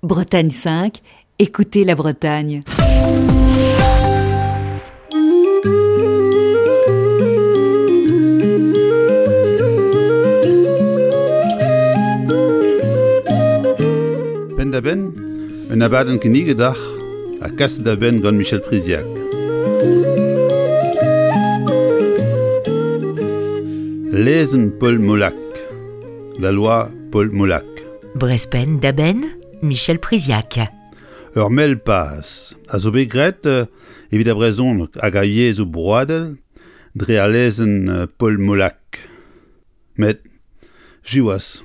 Bretagne 5, écoutez la Bretagne. Penn-da-benn, un abadenn kinniget deoc'h ha kaset da benn gant Michel Priziac. Lezenn Paul Molac, la loi Paul Molac. Brest penn-da-benn, Michel Priziac. Ur mell paz a zo bet graet eh, evit ar brezhoneg hag ar yezhoù broadel dre al lezenn eh, Paul Molac. Met, siwazh,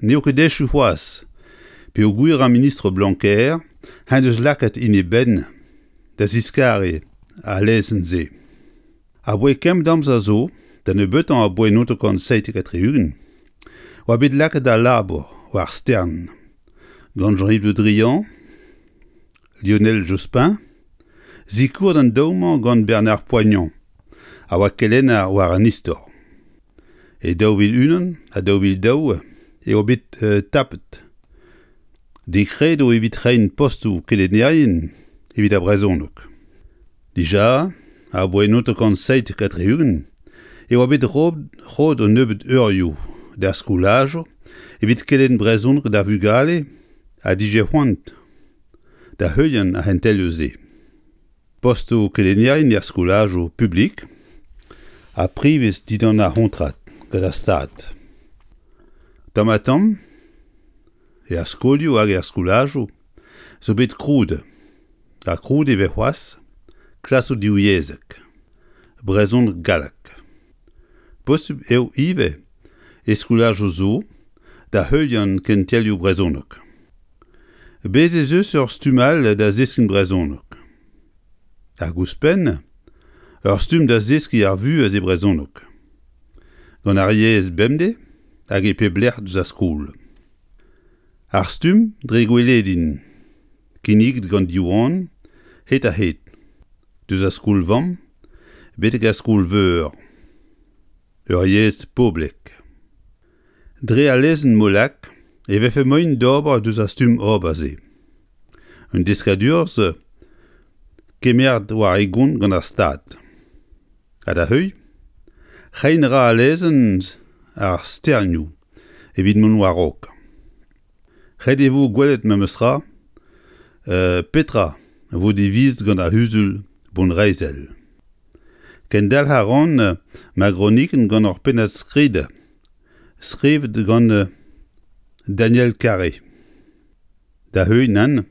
n'eo ket echu c'hoazh peogwir ar ministr Blanquer en deus lakaet en e benn da ziskariñ al lezenn-se. Aboae kemmet amzer zo, da nebeutañ aboae 1977, oa bet lakaet al labour war stern gant Jean-Yves Le Drian, Lionel Jospin, sikouret an daou-mañ gant Bernard Poignant, a oa kelenner war an istor. E 2001 ha 2002 eo bet tapet dekredoù evit reiñ postoù kelennerien evit ar brezhoneg. Dija, aboae 1977 e oa bet roet un nebeud eurioù d'ar skolajoù evit kelenn brezhoneg d'ar vugale ha dije c'hoant da heuliañ ar c'hentelioù-se. Postoù kelennerien er skolajoù publik ha privez dindan ar c'hontrad gant ar Stad. Tamm-ha-tamm er skolioù hag er skolajoù zo bet krouet ha krouet e vez c'hoazh klasoù divyezhek, brezhoneg-galleg. Posupl eo ivez e skolajoù zo da heuliañ kentelioù brezhoneg. Bez' ez eus ur stumm all da zeskiñ brezhoneg. Hag ouzhpenn, ur stumm da zeskiñ ar vuhez e brezhoneg. Gant ar yezh bemdez hag e pep lec'h deus ar skol. Ar stumm dre gweledin, kinniget gant Diwan hed-ha-hed, deus ar skol-vamm betek ar skol-veur. Ur yezh poblek. Dre al lezenn Molac e vefe moaien d'ober deus ar stumm ober-se. Un deskadurezh kemeret war e gont gant ar Stad. Ha da heuilh, reiñ a ra al lezenn ar sternioù evit mont war-raok. Ret e vo gwelet memestra petra vo divizet gant ar C'huzul bonreizhel. Kendalc'h a ran ma gronikenn gant ur pennad-skrid skrivet gant Daniel Carré. Da heuilh nann,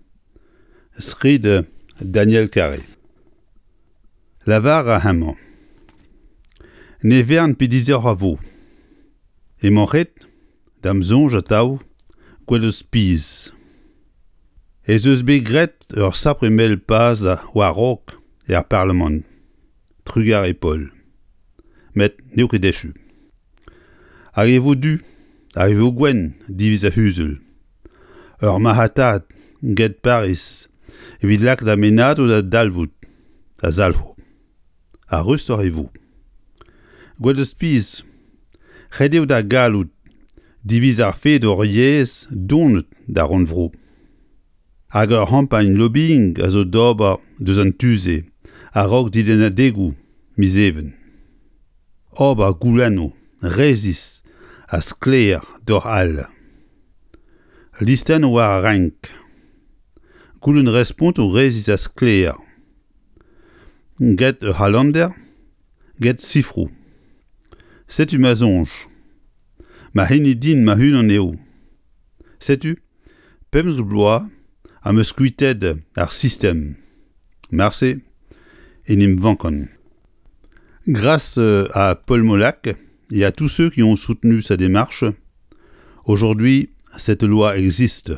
skrid Daniel Carré. Lavar a hemañ. Ne vern pe disoc'h a vo. Emañ ret, da'm soñj atav, gwelout pizh. Ez eus bet graet ur sapre mell paz war-raok er Parlamant. Trugarez Paul. Met n'eo ket echu. Hag e vo du, hag e vo gwenn diviz ar c'huzul. Ur marc'hatad get Pariz evit lakaat ar mennadoù da dalvout a zalc'ho. Ha rustoc'h e vo. Gwelet pizh, ret eo da gallout diviz ar fed hor yezh donet d'ar rannvro. Hag ur c'hampagn lobbying a zo d'ober deus an tu-se a-raok dilennadegoù miz Even. Ober goulennoù resis ha sklaer doc'h al listennoù war ar renk. Goulenn respontoù resis ha sklaer. Get ur c'halander, get sifroù. Setu ma soñj. Ma hini din ma-unan eo. Setu 15 bloaz am eus kuitaet ar sistem. Marse en em vankan. Grâce à Paul Molac et à tous ceux qui ont soutenu sa démarche, aujourd'hui, cette loi existe.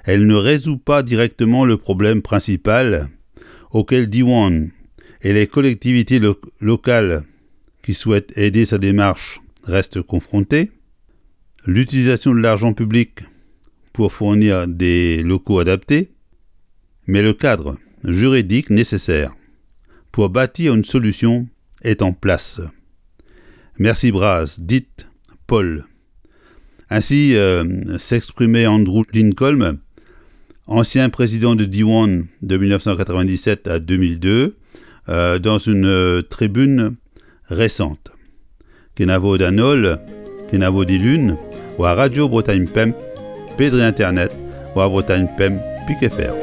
Elle ne résout pas directement le problème principal auquel Diwan et les collectivités locales qui souhaitent aider sa démarche restent confrontés, l'utilisation de l'argent public pour fournir des locaux adaptés, mais le cadre juridique nécessaire pour bâtir une solution est en place. Merci Braz, dites Paul. Ainsi euh, s'exprimait Andrew Lincoln, Ancien président de Diwan de 1997 à 2002, dans une tribune récente. Kenavo d'an holl, kenavo dilun, war Radio Bretagne Pemp, pe dre internet war Bretagne Pemp pik FR.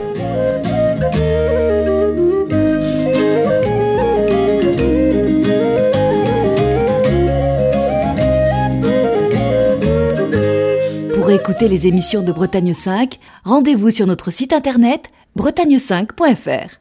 Pour écouter les émissions de Bretagne 5, rendez-vous sur notre site internet bretagne5.fr.